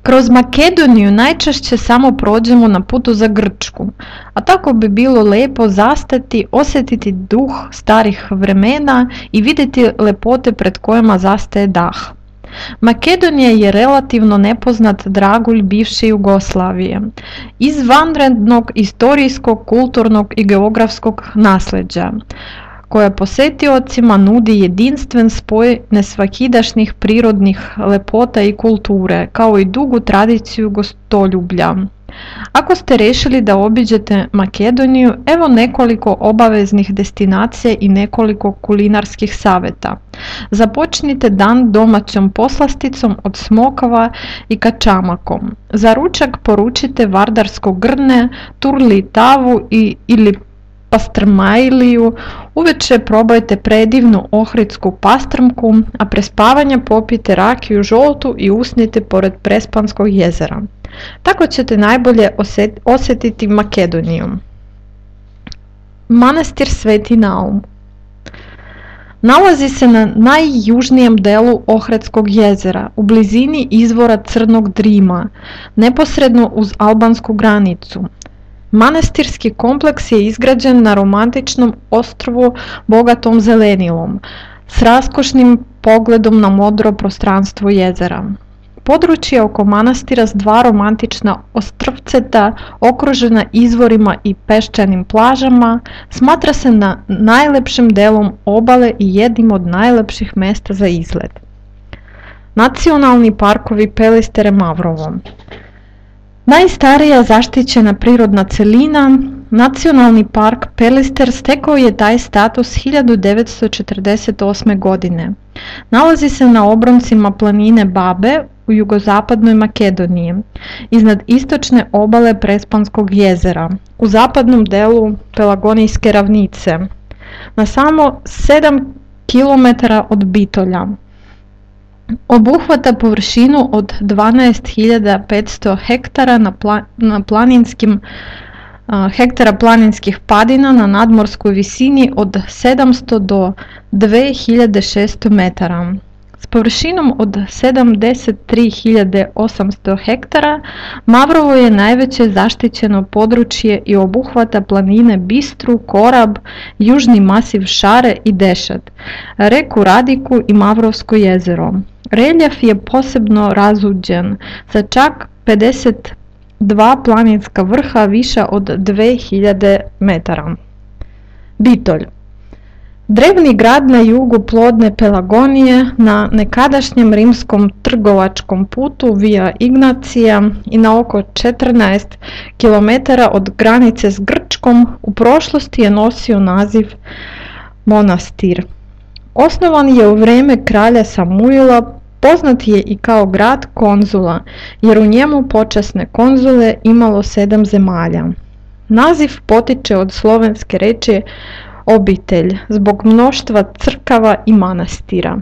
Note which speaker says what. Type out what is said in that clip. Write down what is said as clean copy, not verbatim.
Speaker 1: Kroz Makedoniju najčešće samo prođemo na putu za Grčku, a tako bi bilo lijepo zastati, osjetiti duh starih vremena i vidjeti lepote pred kojima zastaje dah. Makedonija je relativno nepoznat dragulj bivše Jugoslavije, izvanrednog historijskog, kulturnog i geografskog nasljeđa, koja posjetiocima nudi jedinstven spoj nesvakidašnjih prirodnih lepota i kulture, kao i dugu tradiciju gostoljublja. Ako ste rešili da obiđete Makedoniju, evo nekoliko obaveznih destinacija i nekoliko kulinarskih savjeta. Započnite dan domaćom poslasticom od smokava i kačamakom. Za ručak poručite vardarsko grne, turli tavu ili pastrmajliju, uveče probajte predivnu ohridsku pastrmku, a pre spavanja popijte rakiju žoltu i usnite pored Prespanskog jezera. Tako ćete najbolje osjetiti Makedoniju. Manastir Sveti Naum nalazi se na najjužnijem delu Ohridskog jezera, u blizini izvora Crnog Drima, neposredno uz albansku granicu. Manastirski kompleks je izgrađen na romantičnom ostrvu bogatom zelenilom, s raskošnim pogledom na modro prostranstvo jezera. Područje oko manastira s dva romantična ostrvceta, okružena izvorima i peščanim plažama, smatra se najlepšim delom obale i jednim od najlepših mesta za izlet. Nacionalni parkovi Pelistere Mavrovo. Najstarija zaštićena prirodna celina, Nacionalni park Pelister stekao je taj status 1948. godine. Nalazi se na obroncima planine Babe u jugozapadnoj Makedoniji, iznad istočne obale Prespanskog jezera, u zapadnom delu Pelagonijske ravnice, na samo 7 km od Bitolja. Obuhvata površinu od 12.500 hektara hektara planinskih padina na nadmorskoj visini od 700 do 2600 metara. S površinom od 73.800 hektara Mavrovo je najveće zaštićeno područje i obuhvata planine Bistru, Korab, južni masiv Šare i Dešat, reku Radiku i Mavrovsko jezero. Reljef je posebno razuđen sa čak 52 planinska vrha viša od 2000 metara. Bitolj. Drevni grad na jugu plodne Pelagonije, na nekadašnjem rimskom trgovačkom putu Via Ignacija i na oko 14 km od granice s Grčkom, u prošlosti je nosio naziv Monastir. Osnovan je u vrijeme kralja Samuila, poznat je i kao grad konzula, jer u njemu počasne konzule imalo 7 zemalja. Naziv potiče od slovenske reči obitelj, zbog mnoštva crkava i manastira.